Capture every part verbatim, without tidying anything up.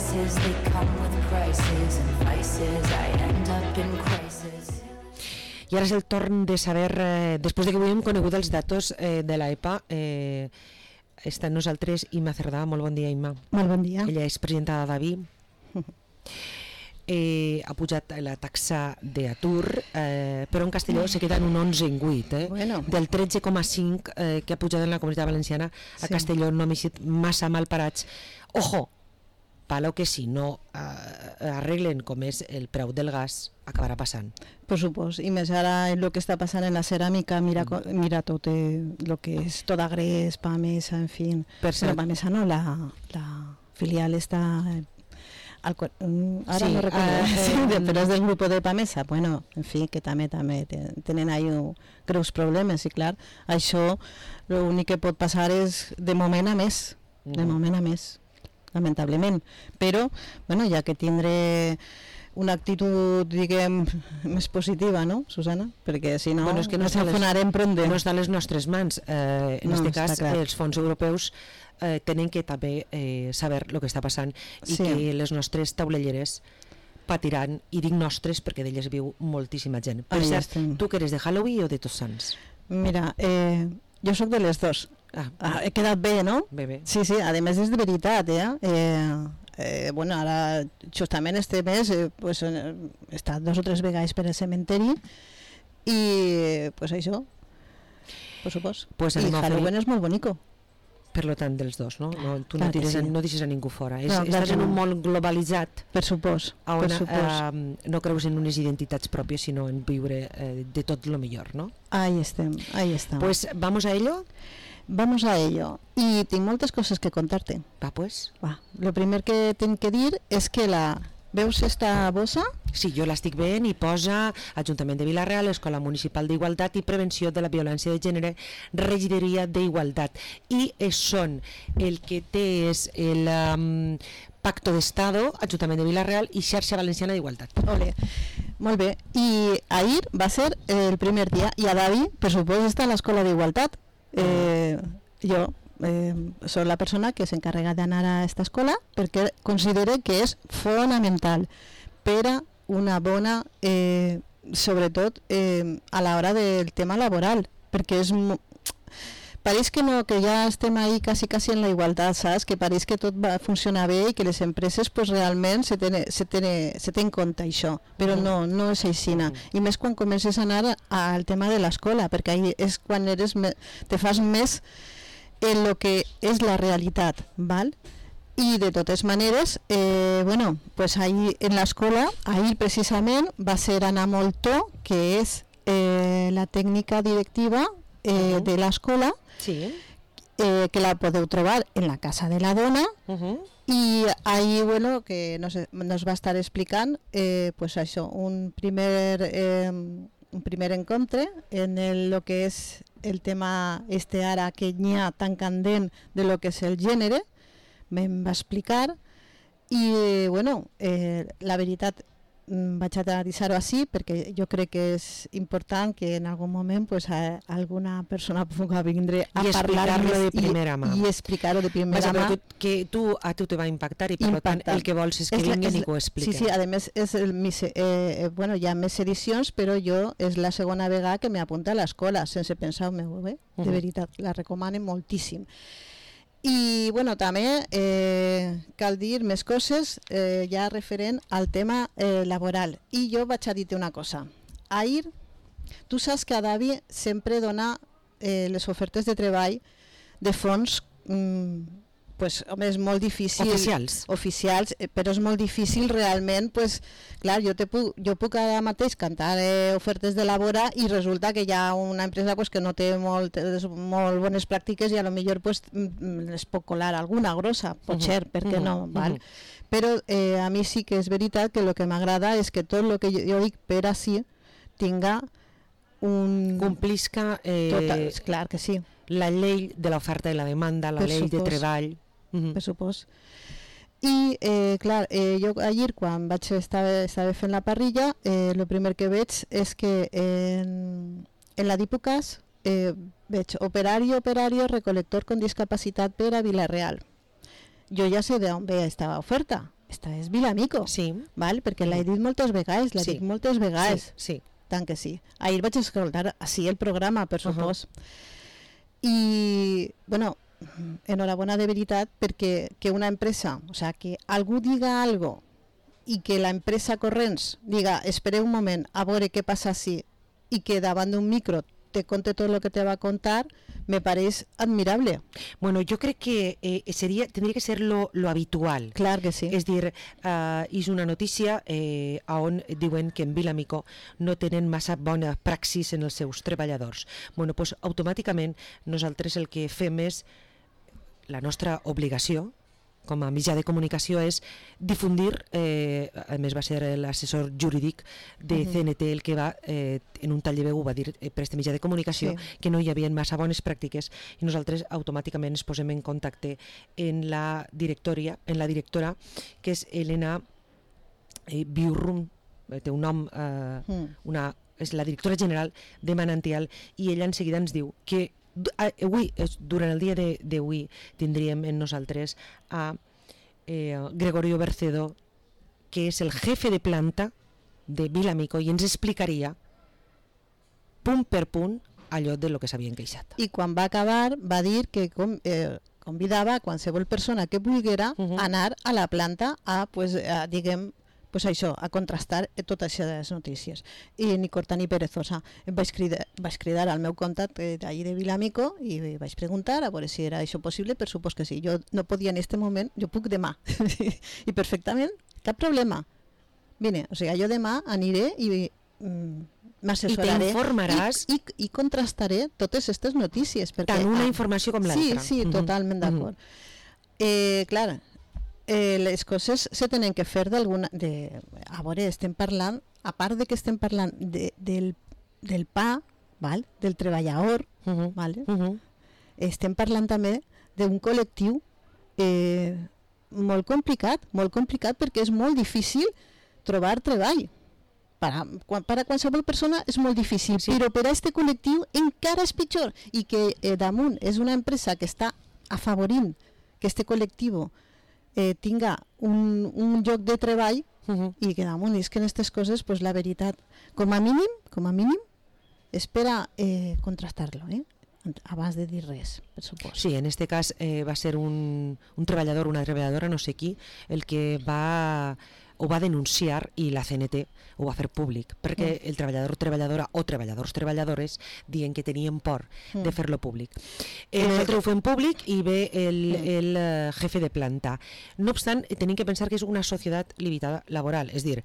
vices, they come with prices and vices, I end up in crisis. I ara és el torn de saber, eh, després de que avui hem conegut els datos eh, de l'E P A, eh, està amb nosaltres Imma Cerdà. Molt bon dia, Imma. Molt bon dia. Ella és presidenta de Davi. Eh, ha pujat la taxa d'atur, eh, però en Castelló se queda en un onze coma vuit, eh? Bueno. Del tretze coma cinc eh, que ha pujat en la Comunitat Valenciana. A Sí. Castelló no m'he sigut massa mal parats. Ojo, palo que si no eh, arreglen com és el preu del gas, acabarà passant. Per supost, i més ara el que està passant en la ceràmica, mira, mm. mira tot el que és tota Gres, Pamesa, en fi. Per cert, no, Pamesa no, la, la filial està... Al, ara sí, no recordo, uh, sí, eh, però és del grup de Pamesa. Bueno, en fi, que també també tenen ahí un, greus problemes, i clar, això l'únic que pot passar és de moment a més, de moment a més, lamentablement. Però, bueno, ja que tindré una actitud, diguem, més positiva, no, Susana? Perquè si no, bueno, és que no ens enfonarem pronto. No està a les nostres mans. Eh, en no, aquest cas, clar. els fons europeus eh, tenen que també eh, saber el que està passant i sí. que les nostres taulelleres patiran, i dic nostres perquè d'elles viu moltíssima gent. Per Ahí cert, estem. tu que eres de Halloween o de Tots Sants? Mira, eh, jo sóc de les dos. Ah, ah, he quedat bé, no? Bé, bé. Sí, sí, a més és de veritat, eh? eh Eh, bueno, ara justament este mes eh, pues, he estat dos o tres vegades per al cementeri i pues això, per supost. Pues I Halloween fer... és molt bonico. Per lo tant, dels dos, no? no tu clar no, tires, sí. no deixes a ningú fora. És, no, estàs en un no. món globalitzat per supost, on per supost. Eh, no creus en unes identitats pròpies, sinó en viure eh, de tot lo millor, no? Ahí estem, ahí estem. Pues vamos a ello. Vamos a ello. Y tengo muchas cosas que contarte. Va, pues. Va. Lo primer que tengo que dir és que la... Veus esta bossa? Sí, jo l'estic veient i posa Ajuntament de Vila-real, Escola Municipal d'Igualtat i Prevenció de la Violència de Gènere, Regidoria d'Igualtat. I són el que té és el um, Pacto d'Estado, Ajuntament de Vila-real i Xarxa Valenciana d'Igualtat. Ole. Molt bé. I ahir va ser el primer dia i a Davi, per suposo, està a l'Escola d'Igualtat. Eh, jo eh, soc la persona que s'encarrega d'anar a aquesta escola perquè considero que és fonamental per a una bona eh, sobretot eh, a l'hora del tema laboral, perquè és pareix que no, que ja estem ahí quasi quasi en la igualtat, saps? Que pareix que tot va funcionar bé i que les empreses pues, realment se té, se, té, se té en compte això, però no, no és aixina. I més quan comences a anar al tema de l'escola, perquè ahí és quan eres me, te fas més en lo que és la realitat, val? I de totes maneres, eh, bueno, pues ahí en l'escola, ahir precisament va ser Ana Moltó, que és eh, la tècnica directiva eh, uh-huh. de l'escola, sí. eh, que la podeu trobar en la Casa de la Dona, uh-huh. i ahí, bueno, que nos, nos va estar explicant, eh, pues això, un primer... Eh, un primer encontre en el, lo que és el tema este ara que n'hi ha tan candent de lo que és el gènere, me'n va explicar i bueno, eh, la veritat vaig a deixar-ho així perquè jo crec que és important que en algun moment pues, a, alguna persona pugui vindre a parlar-lo de primera mà i, i explicar-ho de primera mà. Que, que tu, a tu te va impactar i per tant el que vols és que vinguin i que ho expliquen. Sí, sí, a més és el, eh, bueno, hi ha més edicions, però jo és la segona vegada que m'apunta a l'escola sense pensar-ho meu bé, de uh-huh. veritat, la recomano moltíssim. I bueno, també eh, cal dir més coses eh, ja referent al tema eh, laboral. I jo vaig a dir-te una cosa. Ahir, tu saps que a Davi sempre dona eh, les ofertes de treball de fons mm, pues, home, és molt difícil... Oficials. Oficials, eh, però és molt difícil realment, pues, clar, jo, te puc, jo puc ara mateix cantar eh, ofertes de labora i resulta que hi ha una empresa pues, que no té molt, molt bones pràctiques i a lo millor pues, les puc colar alguna grossa, potser, uh-huh. per què no? Uh-huh. Val? Però eh, a mi sí que és veritat que el que m'agrada és que tot el que jo, jo dic per així tinga un... Complisca eh, Total, clar que sí. La llei de l'oferta i la demanda, la per llei supos. de treball. Uh-huh. Per supost. I, eh, clar, eh, jo ahir quan vaig estar, estava fent la parrilla, el eh, primer que veig és que en, en la Dipocas eh, veig operari, operari, recolector con discapacitat per a Vila-real. Jo ja sé d'on ve aquesta oferta, esta és Vilamico, Sí. val? Perquè l'he dit moltes vegades, l'he Sí. dit moltes vegades. Sí, sí. Tant que sí. Ahir vaig escoltar així el programa, per Uh-huh. supòs. I, bueno, enhorabona de veritat perquè que una empresa, o sea, que algú diga algo i que la empresa corrents diga, espereu un moment, a veure què passa així, i que davant d'un micro te conte tot el que te va a contar, me pareix admirable. Bueno, jo crec que eh, seria, tindria que ser lo, lo habitual. Clar que sí. És dir, uh, és una notícia eh, on diuen que en Vilamico no tenen massa bona praxis en els seus treballadors. Bueno, doncs automàticament nosaltres el que fem és, la nostra obligació com a mitjà de comunicació és difundir, eh, a més va ser l'assessor jurídic de Mhm. C N T el que va, eh, en un tall de veu ho va dir eh, per este mitjà de comunicació, Sí. que no hi havia massa bones pràctiques i nosaltres automàticament ens posem en contacte en la directòria, en la directora, que és Elena eh, Biurrum, eh, té un nom, eh, Mm. una, és la directora general de Manantial, i ella en seguida ens diu que du- a- avui, és- durant el dia de- d'avui tindríem en nosaltres a eh, Gregorio Bercedo, que és el jefe de planta de Vilamico, i ens explicaria punt per punt allò de lo que s'havien queixat. I quan va acabar va dir que com, eh, convidava a qualsevol persona que volguera Mhm. anar a la planta a, pues, a diguem, pues això, a contrastar totes aquestes notícies. I ni corta ni perezosa. Em vaig cridar, vaig cridar al meu contacte d'allí de Vilamico i vaig preguntar a veure si era això possible, per supòs que sí. Jo no podia en este moment, jo puc demà. I perfectament, cap problema. Vine, o sigui, jo demà aniré i mm, m'assessoraré I t'informaràs. i, i, i contrastaré totes aquestes notícies. Perquè, Tant una ah, informació com Sí, l'altra. sí, Mhm, totalment mhm. d'acord. Eh, clar, eh, les coses se tenen que fer d'alguna... De, a veure, estem parlant, a part de que estem parlant de, del, del pa, val? Del treballador, Mhm, vale? mhm. Estem parlant també d'un col·lectiu eh, molt complicat, molt complicat perquè és molt difícil trobar treball. Per a, quan, per a qualsevol persona és molt difícil, Sí. però per a aquest col·lectiu encara és pitjor, i que eh, damunt és una empresa que està afavorint que este col·lectiu eh, tinga un, un lloc de treball, Mhm. i que damunt és que en aquestes coses, pues, la veritat, com a mínim, com a mínim, espera eh, contrastar-lo, eh? abans de dir res, per supòs. Sí, en este cas eh, va ser un, un treballador, una treballadora, no sé qui, el que va ho va denunciar, i la C N T ho va fer públic, perquè el treballador treballadora o treballadors treballadores diuen que tenien por Mm. de fer-lo públic. Eh, Eh, nosaltres ho fem públic i ve el, Mm. el eh, jefe de planta. No obstant, eh, tenim que pensar que és una societat limitada laboral, és dir,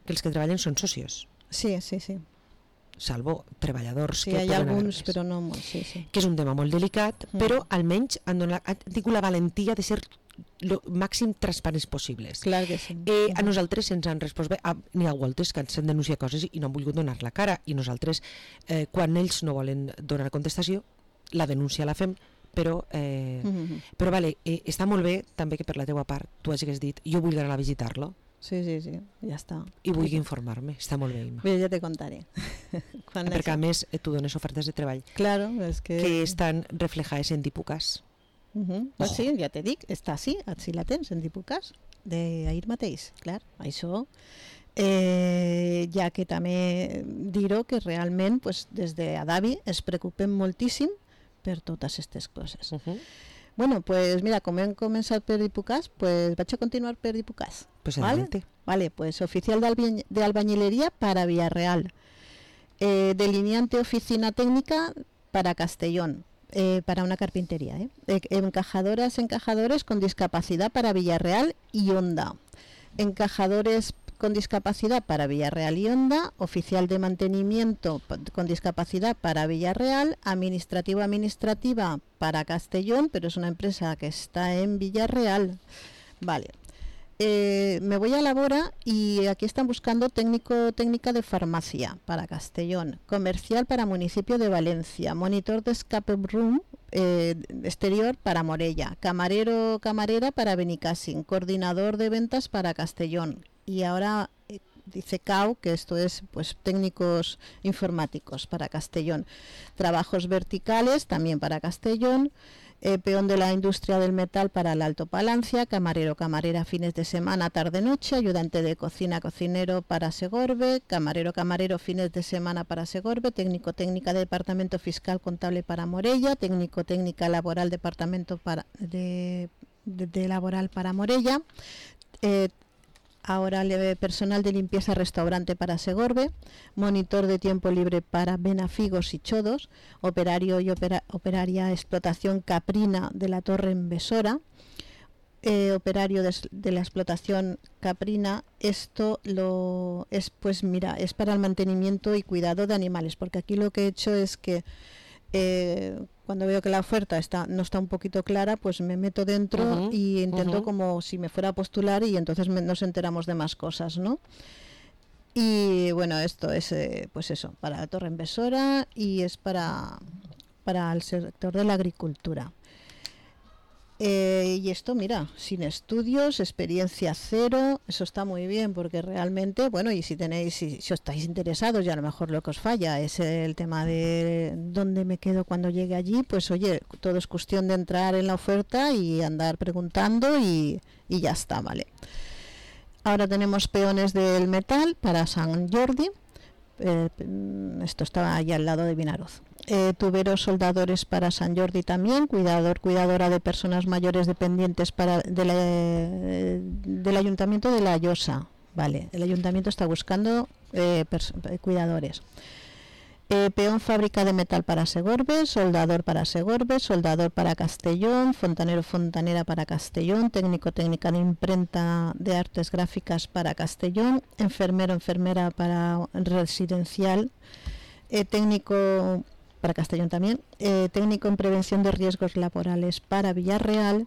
que els que treballen són socios, Sí, sí, sí. salvo treballadors Sí, que hi ha poden alguns, haver-les. però no molts, sí, sí. Que és un tema molt delicat, Mm. però almenys han, donat, han tingut la valentia de ser lo màxim transparents possibles. Clar que sí. Eh, a nosaltres ens han respost bé, ah, n'hi ha voltes que ens han denunciat coses i no han volgut donar la cara, i nosaltres, eh, quan ells no volen donar contestació, la denúncia la fem, però, eh, Mhm. però vale, eh, està molt bé també que per la teua part tu hagis dit jo vull anar a visitar-lo Sí, sí, sí, ja està. i vull informar-me, està molt bé, Imma. Bé, ja te contaré. Quan Perquè a això- més eh, tu dones ofertes de treball Claro, és que... que estan reflejades en Dipucas. Uh -huh. Ojo. Sí, ja te dic, està així, així la tens, en Dipucas, d'ahir mateix, clar, això... Eh, ja que també dir-ho que realment pues, des d'Adavi es preocupen moltíssim per totes aquestes coses. Uh -huh. Bueno, pues mira, com hem començat per Dipucas, pues vaig a continuar per Dipucas. Pues ¿Vale? adelante. Vale, pues oficial de, albi- de albañilería para Villarreal. Eh, delineante oficina técnica para Castellón, eh, para una carpintería. ¿eh? Eh, encajadoras, encajadores con discapacidad para Villarreal y Onda. Encajadores con discapacidad para Villarreal y Onda, oficial de mantenimiento pa- con discapacidad para Villarreal, administrativo administrativa para Castellón, pero es una empresa que está en Villarreal. Vale. Eh, me voy a la Bora y aquí están buscando técnico técnica de farmacia para Castellón, comercial para municipio de Valencia, monitor de escape room eh, exterior para Morella, camarero camarera para Benicàssim, coordinador de ventas para Castellón. Y ahora eh, dice C A U que esto es pues técnicos informáticos para Castellón, trabajos verticales también para Castellón. eh, peón de la industria del metal para el Alto Palancia, camarero, camarera fines de semana, tarde-noche, ayudante de cocina, cocinero para Segorbe, camarero, camarero fines de semana para Segorbe, técnico, técnica de departamento fiscal contable para Morella, técnico, técnica laboral departamento para, de, de, de laboral para Morella, eh, ahora le, personal de limpieza restaurante para Segorbe, monitor de tiempo libre para Benafigos y Chodos, operario y opera, operaria explotación caprina de la Torre en Besora, eh, operario de, de la explotación caprina. Esto lo es, pues mira, es para el mantenimiento y cuidado de animales, porque aquí lo que he hecho es que eh, cuando veo que la oferta está no está un poquito clara, pues me meto dentro uh-huh, y intento uh-huh. como si me fuera a postular, y entonces me, nos enteramos de más cosas, ¿no? Y bueno, esto es eh, pues eso, para la Torre en Besora, y es para, para el sector de la agricultura. Eh, y esto, mira, sin estudios, experiencia cero, eso está muy bien, porque realmente, bueno, y si tenéis, si, si os estáis interesados, y a lo mejor lo que os falla es el tema de dónde me quedo cuando llegue allí, pues oye, todo es cuestión de entrar en la oferta y andar preguntando y, y ya está, ¿vale? Ahora tenemos peones del metal para Sant Jordi, eh, esto estaba allá al lado de Vinaroz. Eh, tuberos soldadores para Sant Jordi también, cuidador, cuidadora de personas mayores dependientes para de la, eh, del Ayuntamiento de La Llosa, vale, el Ayuntamiento está buscando eh, cuidadores. Eh, peón fábrica de metal para Segorbe, soldador para Segorbe, soldador para Castellón, fontanero, fontanera para Castellón, técnico, técnica de imprenta de artes gráficas para Castellón, enfermero, enfermera para residencial, eh, técnico para Castellón también, eh, técnico en prevención de riesgos laborales para Villarreal,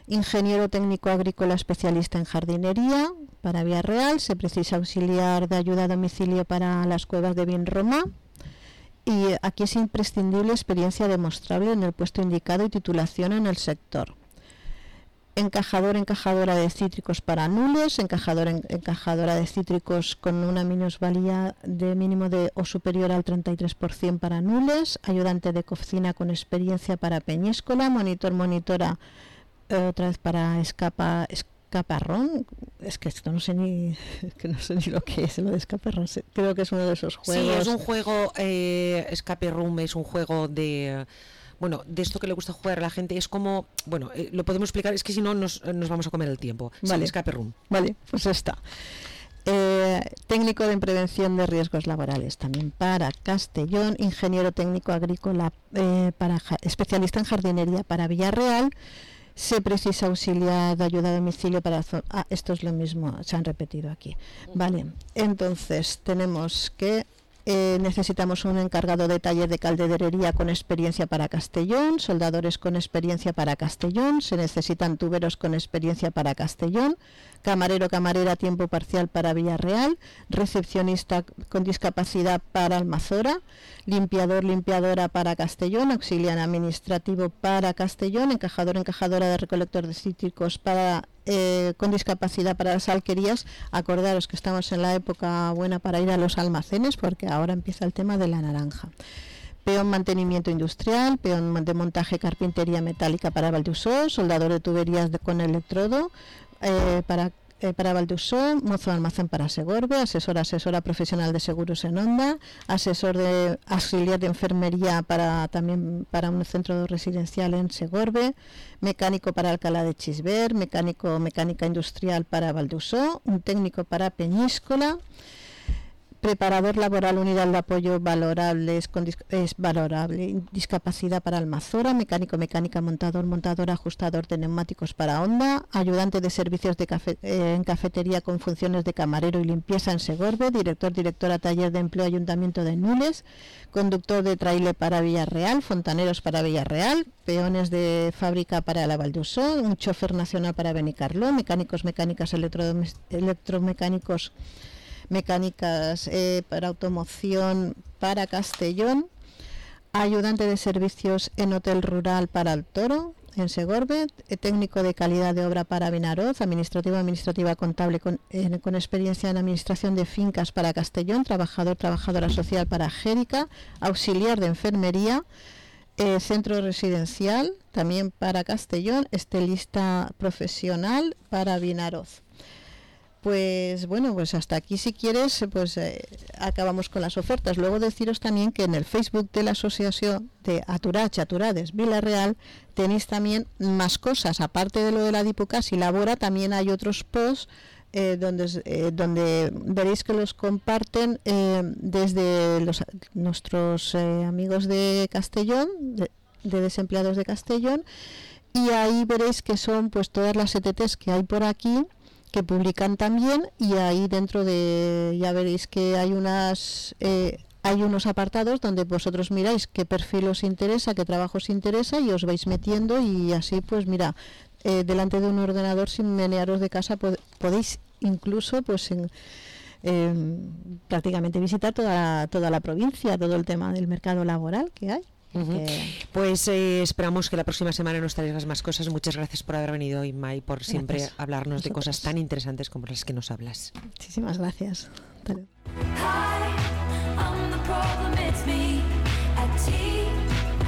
ingeniero técnico agrícola especialista en jardinería para Villarreal, se precisa auxiliar de ayuda a domicilio para las cuevas de Vinromá, y aquí es imprescindible experiencia demostrable en el puesto indicado y titulación en el sector. Encajador, encajadora de cítricos para nules, encajador, en, encajadora de cítricos con una minusvalía de mínimo de o superior al treinta y tres por ciento para nules, ayudante de cocina con experiencia para Peñíscola, monitor, monitora, eh, otra vez para escapa, escaparrón, es que esto no sé ni que no sé ni lo que es lo de escaparrón, creo que es uno de esos juegos. Sí, es un juego, eh, Escape Room es un juego de... Bueno, de esto que le gusta jugar a la gente, es como, bueno, eh, lo podemos explicar, es que si no nos, nos vamos a comer el tiempo. Vale, sí, Escape Room. Vale, pues está. Eh, técnico de prevención de riesgos laborales también para Castellón, ingeniero técnico agrícola eh, para especialista en jardinería para Villarreal, se precisa auxiliar de ayuda a domicilio para... Ah, esto es lo mismo, se han repetido aquí. Vale, entonces tenemos que... Eh, necesitamos un encargado de taller de calderería con experiencia para Castellón, soldadores con experiencia para Castellón, se necesitan tuberos con experiencia para Castellón, camarero, camarera a tiempo parcial para Villarreal, recepcionista con discapacidad para Almazora, limpiador, limpiadora para Castellón, auxiliar administrativo para Castellón, encajador, encajadora de recolector de cítricos para Eh, con discapacidad para las alquerías. Acordaros que estamos en la época buena para ir a los almacenes, porque ahora empieza el tema de la naranja. Peón mantenimiento industrial, peón de montaje carpintería metálica para Valdusó, soldador de tuberías de, con electrodo eh, para Eh, para Valdusó, mozo de almacén para Segorbe, asesor, asesora profesional de seguros en Onda, asesor de auxiliar de enfermería para también para un centro residencial en Segorbe, mecánico para Alcalá de Chisber, mecánico mecánica industrial para Valdusó, un técnico para Peñíscola, preparador laboral unidad de apoyo valorables con dis- es valorable, discapacidad para Almazora, mecánico, mecánica, montador, montador, ajustador de neumáticos para Honda, ayudante de servicios de cafe- eh, en cafetería con funciones de camarero y limpieza en Segorbe, director, directora taller de empleo Ayuntamiento de Nules, conductor de trailer para Villarreal, fontaneros para Villarreal, peones de fábrica para la Valdusó, un chofer nacional para Benicarló, mecánicos, mecánicas, electrodomes- electromecánicos mecánicas eh, para automoción para Castellón, ayudante de servicios en hotel rural para El Toro en Segorbe, eh, técnico de calidad de obra para Vinaroz, administrativa administrativa contable con, eh, con experiencia en administración de fincas para Castellón, trabajador trabajadora social para Jérica, auxiliar de enfermería, eh, centro residencial también para Castellón, estilista profesional para Vinaroz. Pues bueno, pues hasta aquí si quieres, pues eh, acabamos con las ofertas. Luego deciros también que en el Facebook de la Asociación de Aturach, Aturades Vila-real tenéis también más cosas, aparte de lo de la Diputcat y Labora, también hay otros posts eh, donde, eh, donde veréis que los comparten eh, desde los, nuestros eh, amigos de Castellón, de, de desempleados de Castellón, y ahí veréis que son pues todas las E T Ts que hay por aquí, que publican también, y ahí dentro de, ya veréis que hay unas eh, hay unos apartados donde vosotros miráis qué perfil os interesa, qué trabajo os interesa, y os vais metiendo, y así pues mira, eh, delante de un ordenador sin menearos de casa pod- podéis incluso pues en, eh, prácticamente visitar toda, toda la provincia, todo el tema del mercado laboral que hay. Uh-huh. Que... Pues eh, esperamos que la próxima semana nos traigas más cosas. Muchas gracias por haber venido, Inma, y por siempre gracias. hablarnos Nosotros. de cosas tan interesantes como las que nos hablas. Muchísimas gracias. Hasta luego.